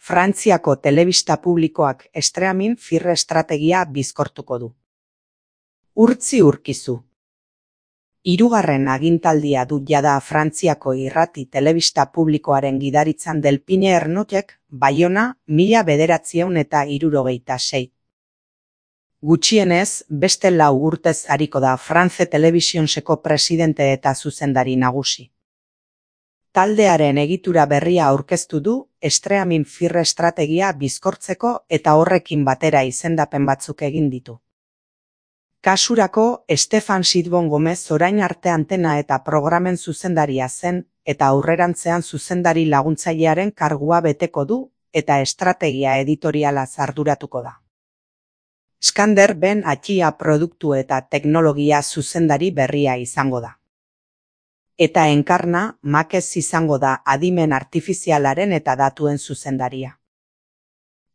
Frantziako telebista publikoak streaming firre estrategia bizkortuko du. Urtzi urkizu. Hirugarren agintaldia du jada Frantziako irrati telebista publikoaren gidaritzan Delpine Ernotek, Baiona, 1976. Gutxienez, beste 4 urtez ariko da France Televisionseko presidente eta zuzendari nagusi. Taldearen egitura berria aurkeztu du, streaming firre estrategia bizkortzeko eta horrekin batera izendapen batzuk egin ditu. Kasurako, Stefan Sidbon Gomez orain arte antena eta programen zuzendaria zen, eta aurrerantzean zuzendari laguntzailearen kargua beteko du, eta estrategia editoriala arduratuko da. Skander Ben Atxia produktu eta teknologia zuzendari berria izango da. Eta Enkarna, Makez izango da adimen artifizialaren eta datuen zuzendaria.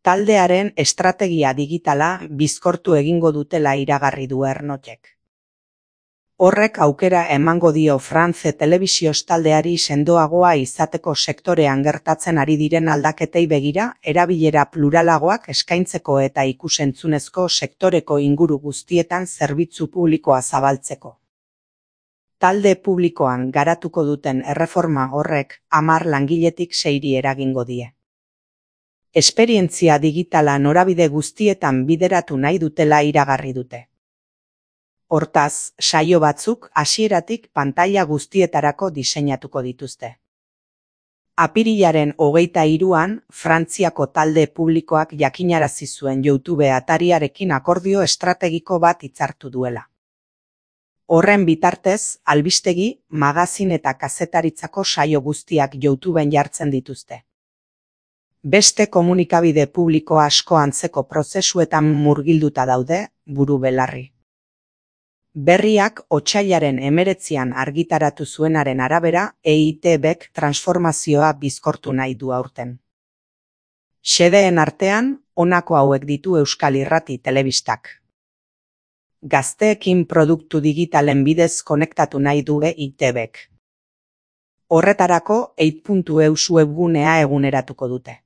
Taldearen estrategia digitala bizkortu egingo dutela iragarri du Ernotek. Horrek aukera emango dio France Telebisios taldeari sendoagoa izateko sektorean gertatzen ari diren aldaketei begira, erabilera pluralagoak eskaintzeko eta ikusentzunezko sektoreko inguru guztietan zerbitzu publikoa zabaltzeko. Talde publikoan garatuko duten erreforma horrek 10 langiletik 6 eragingo die. Esperientzia digitala norabide guztietan bideratu nahi dutela iragarri dute. Hortaz, saio batzuk hasieratik pantaila guztietarako diseinatuko dituzte. Apirilaren 23an, Frantziako talde publikoak jakinarazi zuen YouTube atariarekin akordio estrategiko bat hitzartu duela. Horren bitartez, albistegi, magazin eta kazetaritzako saio guztiak YouTubeen jartzen dituzte. Beste komunikabide publiko asko antzeko prozesuetan murgilduta daude, buru belarri. Berriak otsailaren 19an argitaratu zuenaren arabera, EITBek transformazioa bizkortu nahi du aurten. Xedeen artean, honako hauek ditu Euskal Irrati Telebistak. Gazteekin produktu digitalen bidez konektatu nahi du EITBek. Horretarako 8.eus webgunea eguneratuko dute.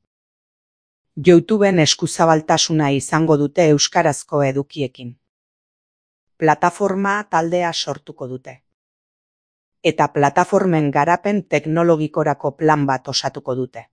YouTubeen eskuzabaltasuna izango dute euskarazko edukiekin. Plataforma taldea sortuko dute. Eta plataformen garapen teknologikorako plan bat osatuko dute.